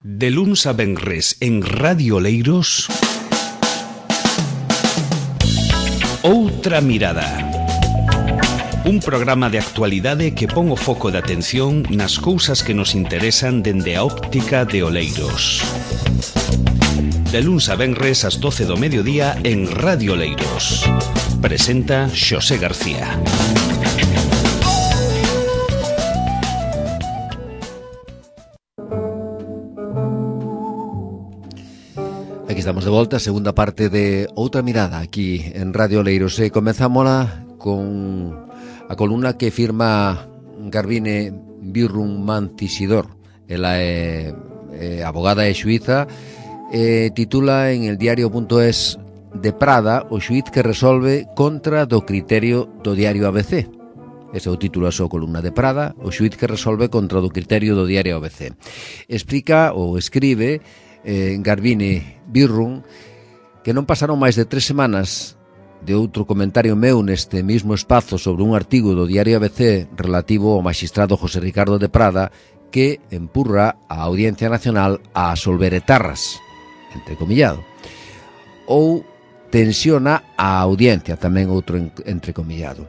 De luns a venres en Radio Oleiros, Outra Mirada. Un programa de actualidade que pon o foco de atención nas cousas que nos interesan dende a óptica de Oleiros. De luns a venres ás 12 do mediodía en Radio Oleiros. Presenta Xosé García. Aquí estamos de volta, segunda parte de Outra Mirada aquí en Radio Oleiros. Comezámola con a columna que firma Garbiñe Birrun Mancisidor. Ela é abogada e xuíza, titula en el diario.es de Prada o xuíz que resolve contra do criterio do diario ABC. Ese é o título da súa columna de Prada, o xuíz que resolve contra do criterio do diario ABC. Explica ou escribe Garbiñe Birrun que non pasaron máis de 3 semanas de outro comentario meu neste mismo espazo sobre un artigo do diario ABC relativo ao magistrado José Ricardo de Prada que empurra a Audiencia Nacional a absolver etarras, entrecomillado, ou tensiona a audiencia, tamén outro entrecomillado.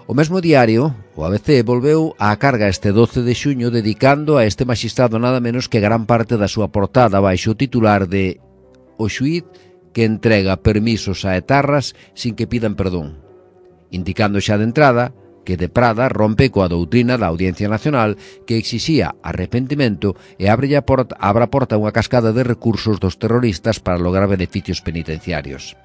O mesmo diario, o ABC, volveu á carga este 12 de xuño dedicando a este magistrado nada menos que gran parte da súa portada baixo o titular de "O xuíz que entrega permisos a etarras sin que pidan perdón", indicando xa de entrada que de Prada rompe coa doutrina da Audiencia Nacional que exixía arrepentimento e abre a porta a unha cascada de recursos dos terroristas para lograr beneficios penitenciarios.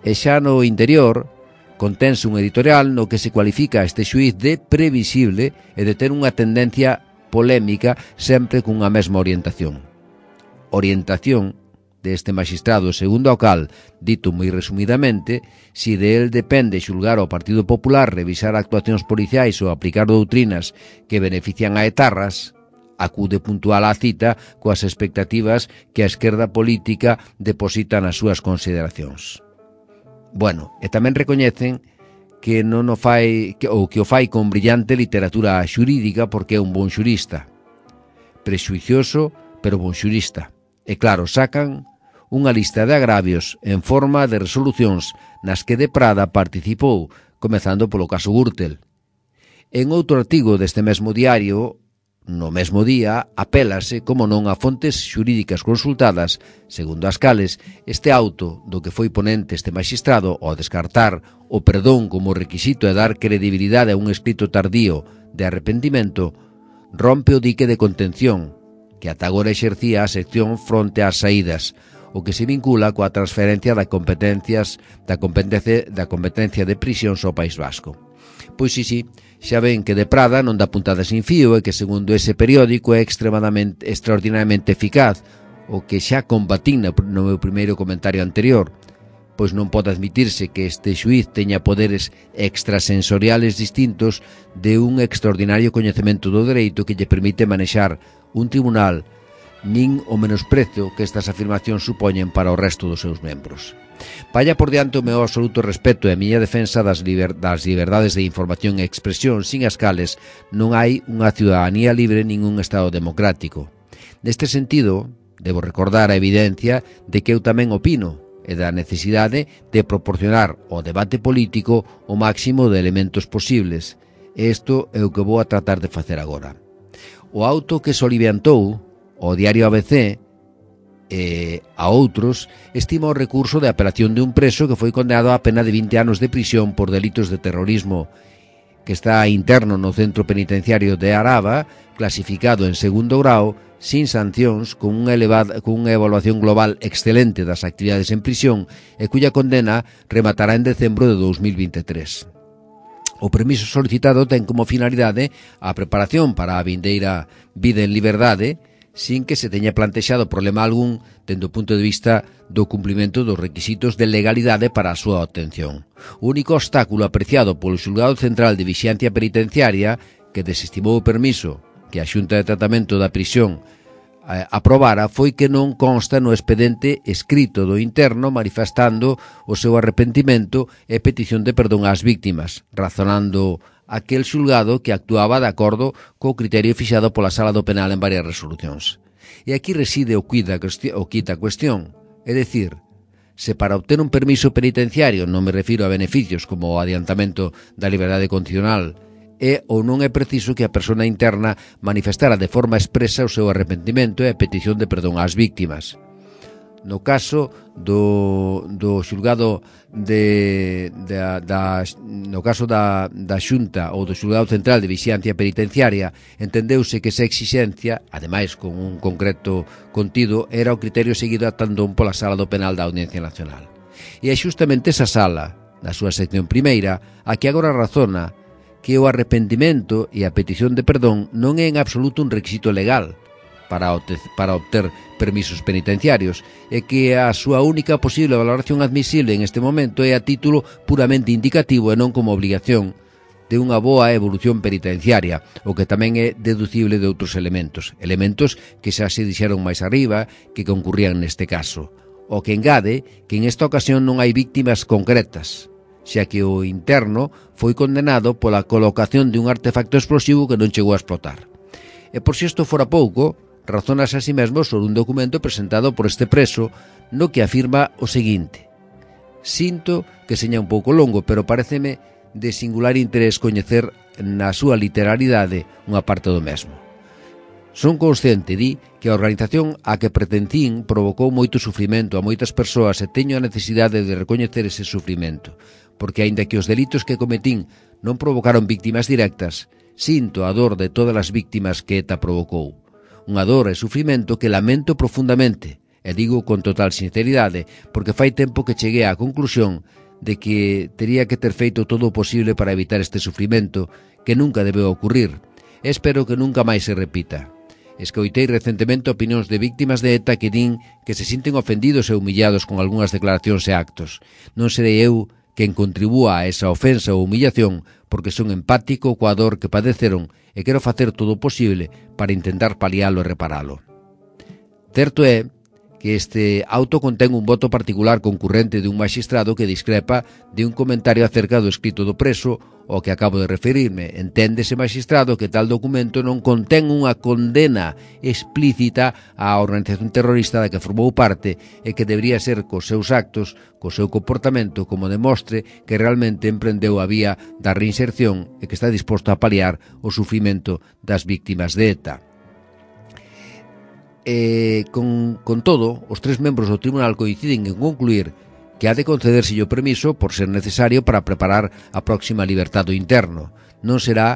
E xa no interior contense un editorial no que se cualifica este xuíz de previsible e de ter unha tendencia polémica sempre cunha mesma orientación. Orientación deste magistrado, segundo o cal, dito moi resumidamente, si de él depende xulgar ao Partido Popular, revisar actuacións policiais ou aplicar doutrinas que benefician a etarras, acude puntual á cita coas expectativas que a esquerda política deposita nas súas consideracións. Bueno, e tamén recoñecen que non o fai ou que o fai con brillante literatura xurídica porque é un bon xurista. Prexuicioso, pero bon xurista. E claro, sacan unha lista de agravios en forma de resolucións nas que de Prada participou, comezando polo caso Gürtel. En outro artigo deste mesmo diario, no mesmo día, apélase, como non, a fontes xurídicas consultadas, segundo as cales, este auto do que foi ponente este magistrado ao descartar o perdón como requisito e dar credibilidade a un escrito tardío de arrepentimento, rompe o dique de contención que ata agora exercía a sección fronte ás saídas, o que se vincula coa transferencia da competencia de prisións ao País Vasco. Pois sí, xa ven que de Prada non dá puntada sin fío e que segundo ese periódico é extraordinariamente eficaz, o que xa combatín no meu primeiro comentario anterior, pois non pode admitirse que este xuíz teña poderes extrasensoriales distintos de un extraordinario coñecemento do dereito que lle permite manexar un tribunal, nin o menosprezo que estas afirmacións supoñen para o resto dos seus membros. Vaya por diante o meu absoluto respeto e a miña defensa das liberdades de información e expresión, sin as cales non hai unha ciudadanía libre nin un Estado democrático. Neste sentido, debo recordar a evidencia de que eu tamén opino e da necesidade de proporcionar ao debate político o máximo de elementos posibles. Isto é o que vou a tratar de facer agora. O auto que soliviantou o diario ABC e a outros estima o recurso de apelación de un preso que foi condenado a pena de 20 anos de prisión por delitos de terrorismo que está interno no centro penitenciario de Araba, clasificado en segundo grau, sin sancións, con unha evaluación global excelente das actividades en prisión e cuya condena rematará en decembro de 2023. O permiso solicitado ten como finalidade a preparación para a vindeira vida en liberdade, sin que se teña plantexado problema algún dende o punto de vista do cumprimento dos requisitos de legalidade para a súa obtención. O único obstáculo apreciado polo Xulgado Central de Vixiancia Penitenciaria, que desestimou o permiso que a Xunta de Tratamento da Prisión aprobara, foi que non consta no expediente escrito do interno manifestando o seu arrepentimento e petición de perdón ás víctimas, razonando aquel xulgado que actuaba de acordo co criterio fixado pola Sala do Penal en varias resolucións. E aquí reside o quita a cuestión. É dicir, se para obter un permiso penitenciario, non me refiro a beneficios como o adiantamento da liberdade condicional, é ou non é preciso que a persona interna manifestara de forma expresa o seu arrepentimento e a petición de perdón ás víctimas. No caso do xulgado no caso da Xunta ou do xulgado central de vixiancia penitenciaria, entendeuse que esa exixencia, ademais con un concreto contido, era o criterio seguido atandón pola Sala do Penal da Audiencia Nacional. E é xustamente esa sala, na súa sección primeira, a que agora razona que o arrepentimento e a petición de perdón non é en absoluto un requisito legal para obter permisos penitenciarios, e que a súa única posible valoración admisible en este momento é a título puramente indicativo e non como obligación de unha boa evolución penitenciaria, o que tamén é deducible de outros elementos que xa se dixeron máis arriba que concurrían neste caso, o que engade que en esta ocasión non hai víctimas concretas, xa que o interno foi condenado pola colocación de un artefacto explosivo que non chegou a explotar. E por si isto fora pouco, razonas a si mesmo sobre un documento presentado por este preso no que afirma o seguinte: sinto que seña un pouco longo, pero paréceme de singular interés coñecer na súa literalidade unha parte do mesmo. Son consciente, di, que a organización a que pertencín provocou moito sufrimento a moitas persoas e teño a necesidade de recoñecer ese sufrimento, porque aínda que os delitos que cometín non provocaron víctimas directas, sinto a dor de todas as víctimas que ETA provocou. Unha dor e sufrimento que lamento profundamente, e digo con total sinceridade, porque fai tempo que cheguei á conclusión de que tería que ter feito todo o posible para evitar este sufrimento que nunca debeu ocurrir, e espero que nunca máis se repita. Escoitei recentemente opinións de víctimas de ETA que din que se sinten ofendidos e humillados con algunhas declaracións e actos. Non serei eu quen contribúa a esa ofensa ou humillación, porque son empático coa dor que padeceron e quero facer todo o posible para intentar palialo e reparalo. Certo é que este auto contén un voto particular concurrente de un magistrado que discrepa de un comentario acerca do escrito do preso ao que acabo de referirme. Entende ese magistrado que tal documento non contén unha condena explícita á organización terrorista da que formou parte e que debería ser cos seus actos, co seu comportamento, como demostre que realmente emprendeu a vía da reinserción e que está disposto a paliar o sufrimento das víctimas de ETA. Con todo, os tres membros do tribunal coinciden en concluir que ha de concederse o permiso por ser necesario para preparar a próxima libertad do interno. Non será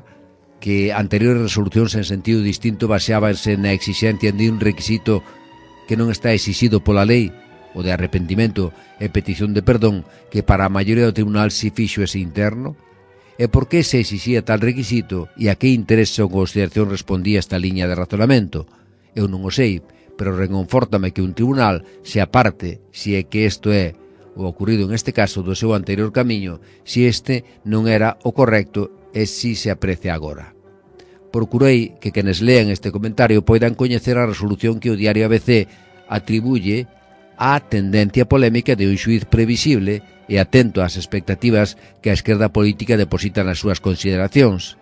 que anteriores resolucións en sentido distinto baseábanse na exixencia de un requisito que non está exixido pola lei, o de arrepentimento e petición de perdón, que para a maioría do tribunal si fixo ese interno? E por que se exixía tal requisito e a que interese ou consideración respondía esta liña de razonamento? Eu non o sei, pero reconfórtame que un tribunal se aparte, se é que isto é o ocurrido en este caso do seu anterior camiño, se este non era o correcto e si se aprecia agora. Procurei que quenes lean este comentario poidan coñecer a resolución que o diario ABC atribuye á tendencia polémica de un xuiz previsible e atento ás expectativas que a esquerda política deposita nas súas consideracións,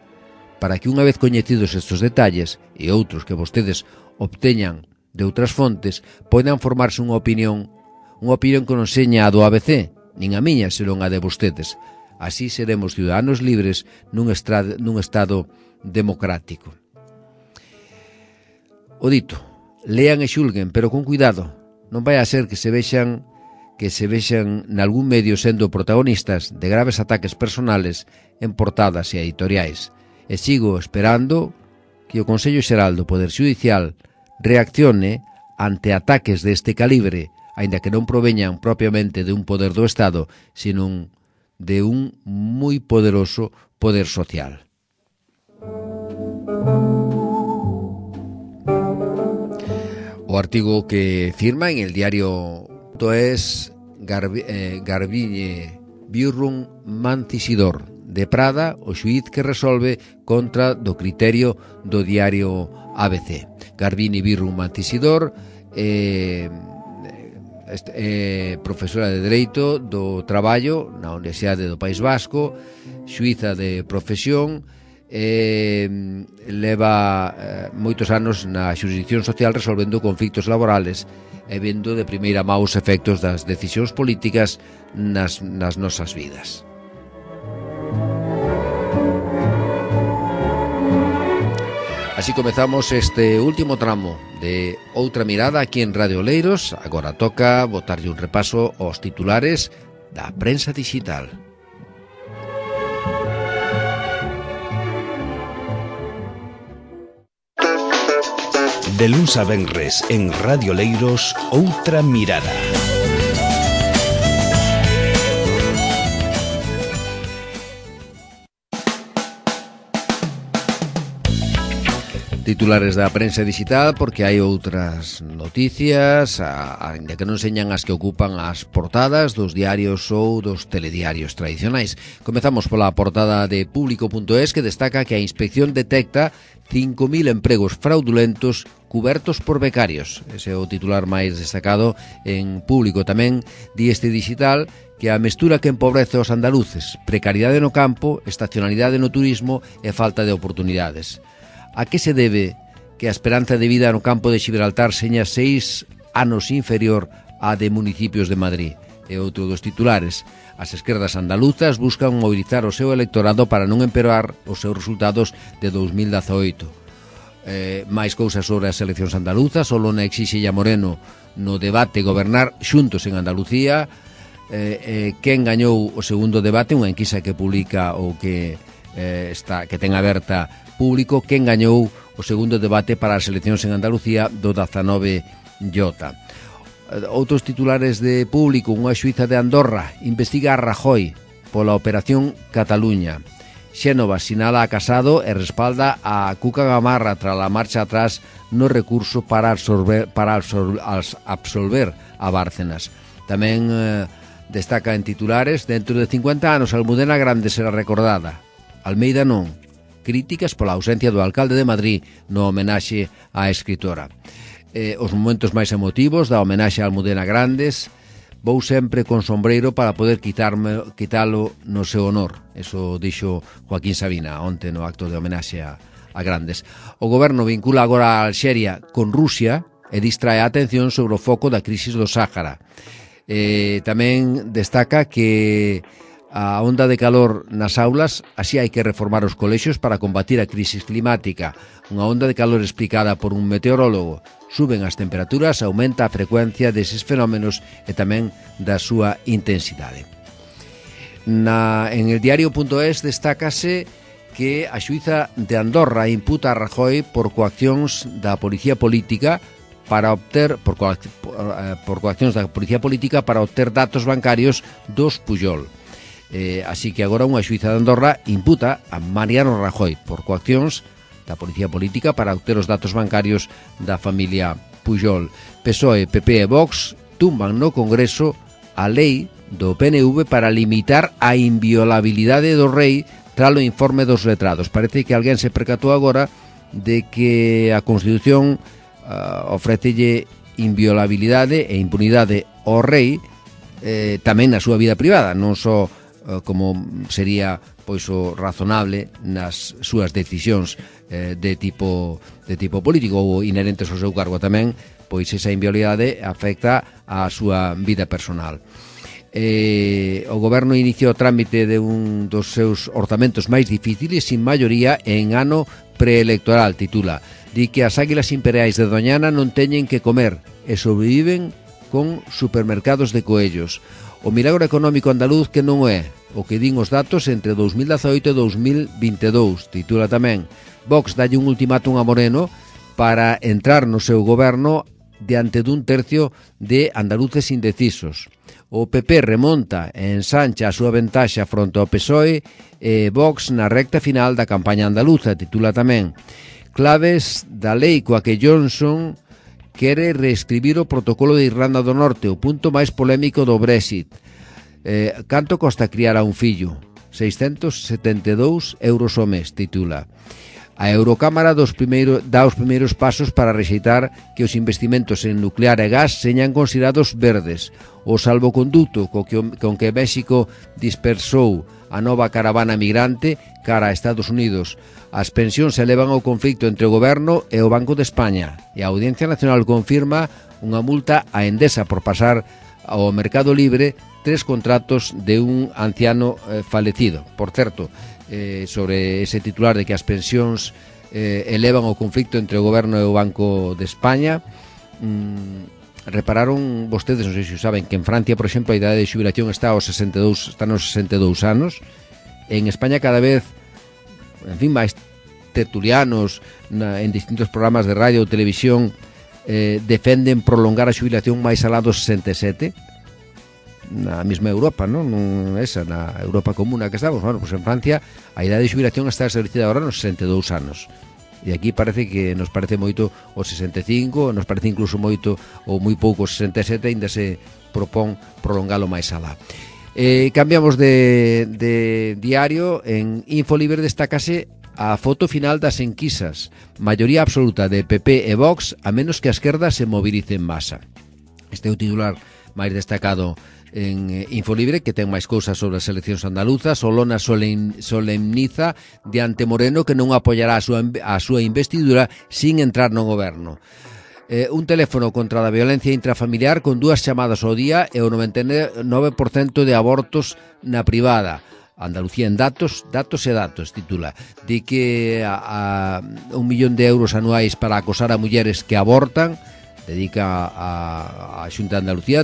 para que unha vez coñecidos estes detalles e outros que vostedes obteñan de outras fontes, poidan formarse unha opinión que non seña a do ABC, nin a miña, senón a de vostedes. Así seremos ciudadanos libres nun estado democrático. O dito, lean e xulguen, pero con cuidado. Non vai a ser que se vexan nalgún medio sendo protagonistas de graves ataques personales en portadas e editoriais. E sigo esperando que o Consello Xeral do Poder Xudicial reaccione ante ataques deste calibre, aínda que non proveñan propiamente de un poder do Estado, sino de un moi poderoso poder social. O artigo que firma en el diario es Garbiñe Birrun Mancisidor, de Prada, o xuíz que resolve contra do criterio do diario ABC. Garbiñe Birrun Mancisidor profesora de Dereito do Traballo na Universidade do País Vasco, xuíza de profesión, leva moitos anos na xurisdicción social resolvendo conflitos laborales e vendo de primeira mão os efectos das decisións políticas nas nosas vidas. Así comezamos este último tramo de Outra Mirada aquí en Radio Oleiros. Agora toca botarlle un repaso aos titulares da prensa digital. De luns a venres en Radio Oleiros, Outra Mirada. Titulares da prensa digital, porque hai outras noticias, ainda que non señan as que ocupan as portadas dos diarios ou dos telediarios tradicionais. Comezamos pola portada de Público.es, que destaca que a inspección detecta 5.000 empregos fraudulentos cubertos por becarios. Ese é o titular máis destacado en Público. Tamén di este digital que a mestura que empobrece os andaluces, precariedade no campo, estacionalidade no turismo e falta de oportunidades. A que se debe que a esperanza de vida no campo de Xibraltar seña 6 anos inferior á de municipios de Madrid? É outro dos titulares. As esquerdas andaluzas buscan mobilizar o seu electorado para non empeorar os seus resultados de 2018. Máis cousas sobre as eleccións andaluzas. Olona exixe a Moreno no debate gobernar xuntos en Andalucía. Quen gañou o segundo debate, unha enquisa que publica ou que ten aberta Público, quen gañou o segundo debate para as eleccións en Andalucía do 19J. Outros titulares de Público. Unha xuíza de Andorra investiga a Rajoy pola Operación Cataluña. Xénova sinala a Casado e respalda a Cuca Gamarra tras a marcha atrás no recurso para absolver a Bárcenas. Tamén destaca en titulares: dentro de 50 anos Almudena Grande será recordada, Almeida non. Críticas pola ausencia do alcalde de Madrid no homenaxe á escritora. Os momentos máis emotivos da homenaxe a Almudena Grandes: vou sempre con sombreiro para poder quitalo no seu honor. Eso dixo Joaquín Sabina onte no acto de homenaxe a Grandes. O goberno vincula agora a Alxeria con Rusia e distrae a atención sobre o foco da crisis do Sáhara. Tamén destaca que a onda de calor nas aulas, así hai que reformar os colexios para combatir a crisis climática. Unha onda de calor explicada por un meteorólogo. Suben as temperaturas, aumenta a frecuencia deses fenómenos e tamén da súa intensidade. En el diario.es destácase que a xuíza de Andorra imputa a Rajoy por coaccións da policía política para obter datos bancarios dos Pujol. Así que agora unha xuíza de Andorra imputa a Mariano Rajoy por coaccións da policía política para obter os datos bancarios da familia Pujol. PSOE, PP e Vox tumban no Congreso a lei do PNV para limitar a inviolabilidade do rei tras o informe dos letrados. Parece que alguén se percatou agora de que a Constitución ofrécelle inviolabilidade e impunidade ao rei tamén na súa vida privada, non só como sería pois o razonable nas súas decisións de tipo político ou inherentes ao seu cargo. Tamén pois esa inviolabilidade afecta a súa vida personal. O goberno iniciou o trámite de un dos seus orzamentos máis difíciles sin maioría en ano preelectoral, titula. Di que as águilas imperiais de Doñana non teñen que comer e sobreviven con supermercados de coellos. O milagro económico andaluz que non é o que din os datos entre 2018 e 2022, titula tamén. Vox dalle un ultimátum a Moreno para entrar no seu goberno diante dun tercio de andaluces indecisos. O PP remonta e ensancha a súa ventaxa fronte ao PSOE e Vox na recta final da campaña andaluza, titula tamén. Claves da lei coa que Johnson quere reescribir o protocolo de Irlanda do Norte, o punto máis polémico do Brexit. Canto costa criar a un fillo? 672 euros ao mes, titula. A Eurocámara dá os primeiros pasos para rexeitar que os investimentos en nuclear e gas señan considerados verdes. O salvoconducto con que México dispersou a nova caravana migrante cara a Estados Unidos. As pensións se elevan ao conflicto entre o Goberno e o Banco de España, e a Audiencia Nacional confirma unha multa a Endesa por pasar ao mercado libre 3 contratos de un anciano falecido. Por certo, sobre ese titular de que as pensións elevan o conflicto entre o Goberno e o Banco de España, repararon vostedes, non sei se saben, que en Francia, por exemplo, a idade de xubilación está nos 62 anos. En España cada vez, en fin, máis tertulianos en distintos programas de radio ou televisión defenden prolongar a xubilación máis alá dos 67, na mesma Europa, non esa, na Europa común na que estamos. Bueno, pues en Francia a idade de xubilación está establecida agora nos 62 anos. E aquí parece que nos parece moito os 65, nos parece incluso moito ou moi pouco os 67, ainda se propón prolongalo máis alá. Cambiamos de diario. En Infolibre destacase a foto final das enquisas. Maioría absoluta de PP e Vox, a menos que a esquerda se movilice en masa. Este é o titular máis destacado en Infolibre, que ten máis cousas sobre as eleccións andaluzas. Olona solemniza diante Moreno que non apoiará a súa investidura sin entrar no goberno. Un teléfono contra a violencia intrafamiliar con 2 chamadas ao día e o 99% de abortos na privada. Andalucía en datos titula. Di que a 1 millón de euros anuais para acosar a mulleres que abortan dedica a Xunta de Andalucía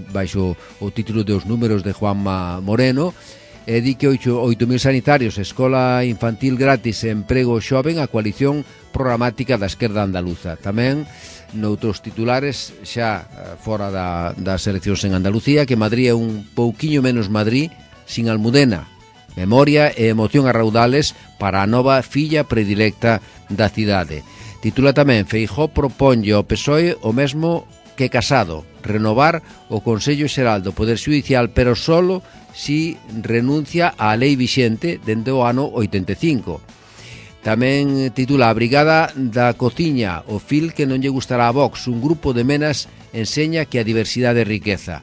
baixo o título de Os números de Juanma Moreno. Di que 8.000 sanitarios, escola infantil gratis e emprego xoven, a coalición programática da esquerda andaluza. Tamén noutros titulares xa fora das eleccións en Andalucía, que Madrid é un pouquiño menos Madrid sin Almudena. Memoria e emoción a raudales para a nova filla predilecta da cidade. Titula tamén: Feijóo proponlle ao PSOE o mesmo que Casado, renovar o Consello Xeral do Poder Xudicial, pero solo si renuncia á lei vixente dende o ano 85. Tamén titula: A Brigada da Cociña, o fil que non lle gustará a Vox. Un grupo de menas enseña que a diversidade é riqueza.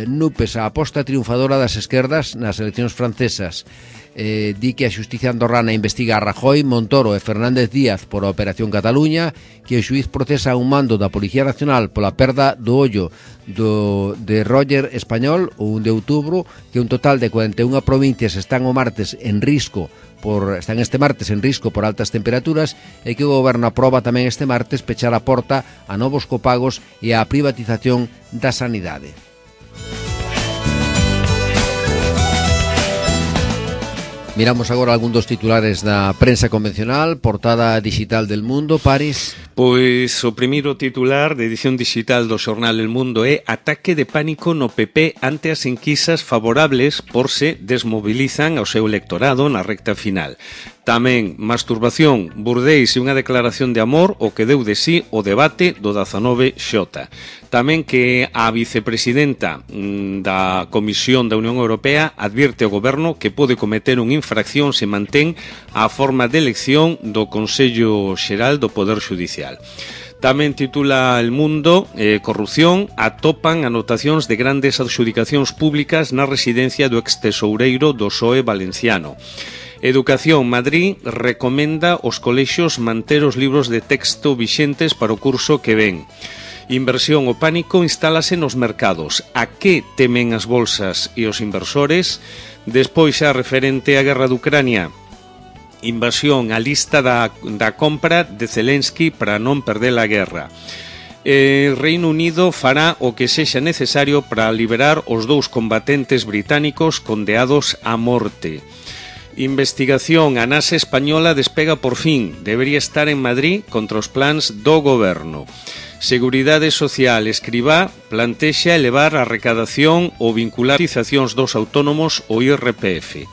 Nupes, a aposta triunfadora das esquerdas nas eleccións francesas. Di que a xustiza andorrana investiga a Rajoy, Montoro e Fernández Díaz por a Operación Cataluña, que o xuiz procesa un mando da Policía Nacional pola perda do ollo de Roger Español o 1 de outubro, que un total de 41 provincias están este martes en risco por altas temperaturas, e que o goberno aproba tamén este martes pechar a porta a novos copagos e a privatización da sanidade. Miramos agora algún dos titulares da prensa convencional. Portada digital del Mundo, Paris. Pois o primeiro titular de edición digital do xornal El Mundo é: Ataque de pánico no PP ante as enquisas favorables por se desmobilizan ao seu electorado na recta final. Tamén masturbación, burdeis e unha declaración de amor o que deu de sí o debate do 19X. Tamén que a vicepresidenta da Comisión da Unión Europea advirte ao goberno que pode cometer unha infracción se mantén a forma de elección do Consello Xeral do Poder Xudicial. Tamén titula El Mundo: Corrupción, atopan anotacións de grandes adxudicacións públicas na residencia do extesoureiro do PSOE valenciano. Educación, Madrid recomenda aos colexios manter os libros de texto vixentes para o curso que ven. Inversión, o pánico instálase nos mercados. A que temen as bolsas e os inversores? Despois, xa referente á guerra de Ucrania, invasión, a lista da compra de Zelensky para non perder a guerra. Reino Unido fará o que sexa necesario para liberar os 2 combatentes británicos condeados a morte. Investigación, a NASA española despega por fin, debería estar en Madrid contra os plans do goberno. Seguridade Social, Escribá plantexa elevar a recadación ou vincular cotizacións dos autónomos ao IRPF.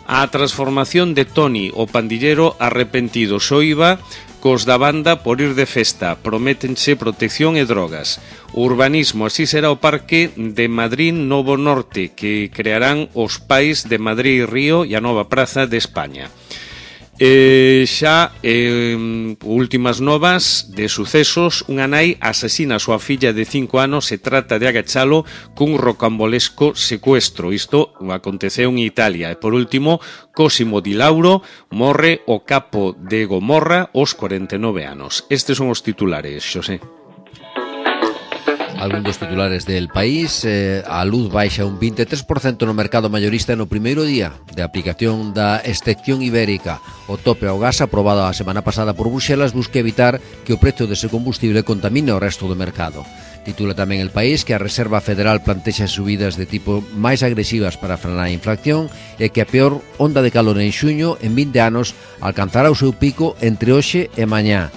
A transformación de Toni, o pandillero arrepentido, soiba cos da banda por ir de festa, prométense protección e drogas. O urbanismo, así será o Parque de Madrid Novo Norte, que crearán os pais de Madrid e Río e a nova Praza de España. Xa últimas novas de sucesos. Unha nai asesina a súa filla de 5 anos e trata de agachalo cun rocambolesco secuestro. Isto aconteceu en Italia. E por último, Cosimo Di Lauro morre o capo de Gomorra aos 49 anos. Estes son os titulares, Xosé. Algún dos titulares del país. A luz baixa un 23% no mercado mayorista no primeiro día de aplicación da excepción ibérica. O tope ao gas aprobado a semana pasada por Bruxelas busca evitar que o prezo dese combustible contamine o resto do mercado. Titula tamén El País que a Reserva Federal plantexa subidas de tipo máis agresivas para frenar a inflación e que a peor onda de calor en xuño en 20 anos alcanzará o seu pico entre hoxe e mañá.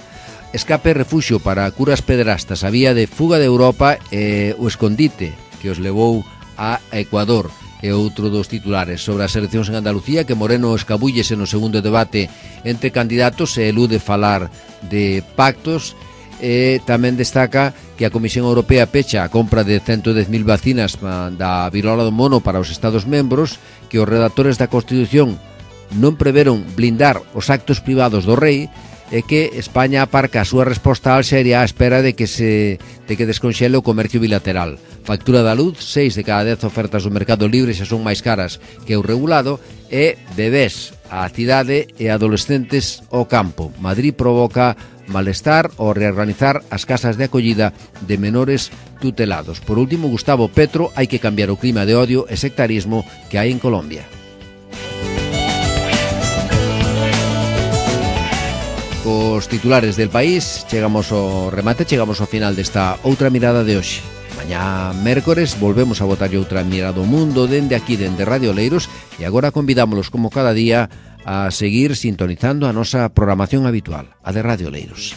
Escape e refuxio para curas pederastas, a vía de fuga de Europa e o escondite que os levou a Ecuador. E outro dos titulares sobre as eleccións en Andalucía, que Moreno escabullese no segundo debate entre candidatos e elude falar de pactos. E tamén destaca que a Comisión Europea pecha a compra de 110.000 vacinas da virola do mono para os Estados membros, que os redactores da Constitución non preveron blindar os actos privados do rei, e que España aparca a súa resposta a Alxeria á espera de que desconxele o comercio bilateral. Factura da luz, 6 de cada 10 ofertas do mercado libre xa son máis caras que o regulado, e bebés á cidade e adolescentes ao campo. Madrid provoca malestar ao reorganizar as casas de acollida de menores tutelados. Por último, Gustavo Petro, hai que cambiar o clima de odio e sectarismo que hai en Colombia. Os titulares del país, chegamos ao remate, chegamos ao final desta outra mirada de hoxe. Mañá, mércores, volvemos a botar outra mirada ao mundo dende aquí, dende Radio Oleiros, e agora convidámolos, como cada día, a seguir sintonizando a nosa programación habitual, a de Radio Oleiros.